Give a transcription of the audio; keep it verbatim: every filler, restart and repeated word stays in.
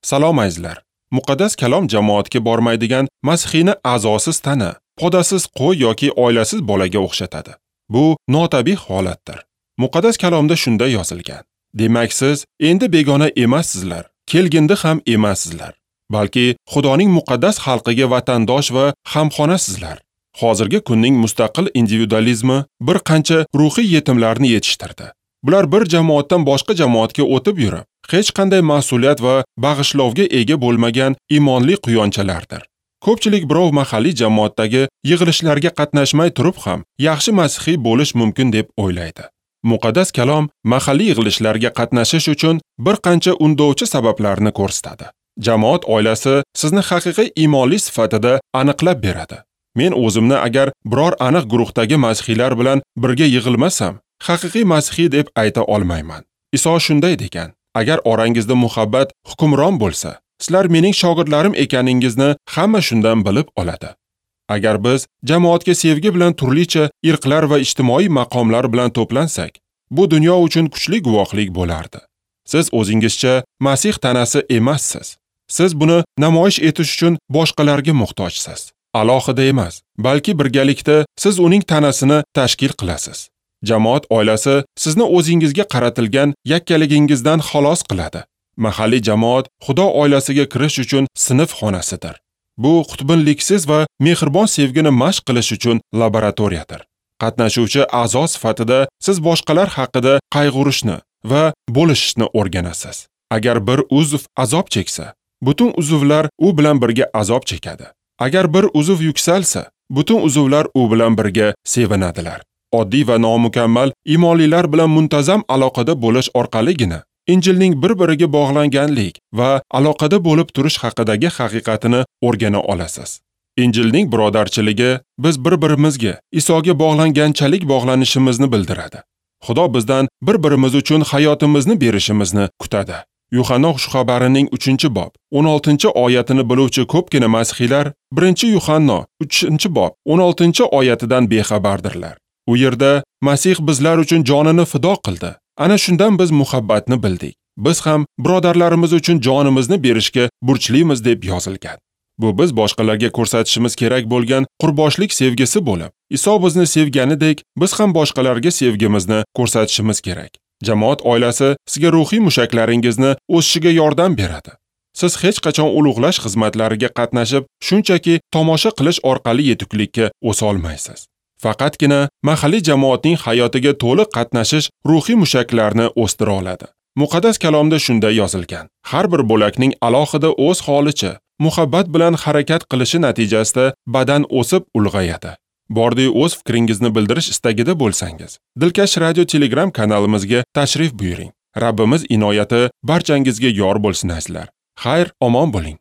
Salom azizlar. Muqaddas kalom jamoatga bormaydigan masihiyni a'zosiz tana, podasiz qo'y yoki oilasiz bolaga o'xshatadi. Bu notabiiy holatdir. Muqaddas kalomda shunday yozilgan: Demak, siz endi begona emassizlar, kelgindi ham emassizlar, balki Xudoning muqaddas xalqiga vatandosh va hamxonasizlar. Hozirgi kunning mustaqil individualizmi bir qancha ruhiy yetimlarni yetishtirdi. Bular bir jamoatdan boshqa jamoatga o'tib yurib, hech qanday mas'uliyat va bag'ishlovga ega bo'lmagan iymonli quyonchalardir. Ko'pchilik birov mahalliy jamoatdagi yig'ilishlarga qatnashmay turib ham yaxshi masihiy bo'lish mumkin deb o'ylaydi. Muqaddas kalom mahalliy yig'ilishlarga qatnashish uchun bir qancha undovchi sabablarni ko'rsatadi. Jamoat oilasi sizni haqiqiy iymonli sifatida aniqlab beradi. Men o'zimni agar biror aniq guruhdagi masihiylar bilan birga yig'ilmasam, haqiqiy masihiy deb ayta olmayman. Iso shunday degan: agar orangizda muhabbat hukmron bo'lsa, sizlar mening shogirdlarim ekaningizni hamma shundan bilib oladi. Agar biz jamoatga sevgi bilan turlicha irqlar va ijtimoiy maqomlar bilan to'plansak, bu dunyo uchun kuchli guvohlik bo'lardi. Siz o'zingizcha Masih tanasi emassiz. Siz buni namoyish etish uchun boshqalarga muhtojsiz. Alohida emas, balki birgalikda siz uning tanasini tashkil qilasiz. Jamoat oilasi sizni o'zingizga qaratilgan yakkaligingizdan xalos qiladi. Mahalliy jamoat Xudo oilasiga kirish uchun sinf xonasidir. Bu qutbinliksiz va mehribon sevgini mashq qilish uchun laboratoriyadir. Qatnashuvchi a'zo sifatida siz boshqalar haqida qayg'urishni va bo'lishishni o'rganasiz. Agar bir uzv azob cheksa, butun uzvlar u bilan birga azob chekadi. Agar bir uzv yuksalsa, butun uzvlar u bilan birga sevinadilar. Oddiy va nomukammal iymonlilar bilan muntazam aloqada bo'lish orqaligina Injilning bir-biriga bog'langanlik va aloqada bo'lib turish haqidagi haqiqatini o'rgana olasiz. Injilning birodarchiligi biz bir-birimizga Isoga bog'langanchalik bog'lanishimizni bildiradi. Xudo bizdan bir-birimiz uchun hayotimizni berishimizni kutadi. Yuhanno xushxabarining uchinchi bob o'n oltinchi oyatini biluvchi ko'pgina masihiylar birinchi Yuhanno uchinchi bob o'n oltinchi oyatidan bexabardirlar. U yerda Masih bizlar uchun jonini fido qildi. Ana shundan biz muhabbatni bildik. Biz ham birodarlarimiz uchun jonimizni berishga burchlimiz deb yozilgan. Bu biz boshqalarga ko'rsatishimiz kerak bo'lgan qurboshlik sevgisi bo'lib, Iso bizni sevganidek, biz ham boshqalarga sevgimizni ko'rsatishimiz kerak. Jamoat oilasi sizga ruhiy mushaklaringizni o'sishiga yordam beradi. Siz hech qachon ulug'lash xizmatlariga qatnashib, shunchaki tomosha qilish orqali yetuklikka o'sa olmaysiz. Faqatgina mahalliy jamoatning hayotiga to'liq qatnashish ruhiy mushaklarni o'stira oladi. Muqaddas kalomda shunday yozilgan: har bir bo'lakning alohida o'z holicha muhabbat bilan harakat qilishi natijasida badan o'sib ulg'ayadi. Bordi o'z fikringizni bildirish istagida bo'lsangiz, Dilkash radio Telegram kanalimizga tashrif buyuring. Rabbimiz inoyati barchangizga yor bo'lsin azizlar. Xayr, omon bo'ling.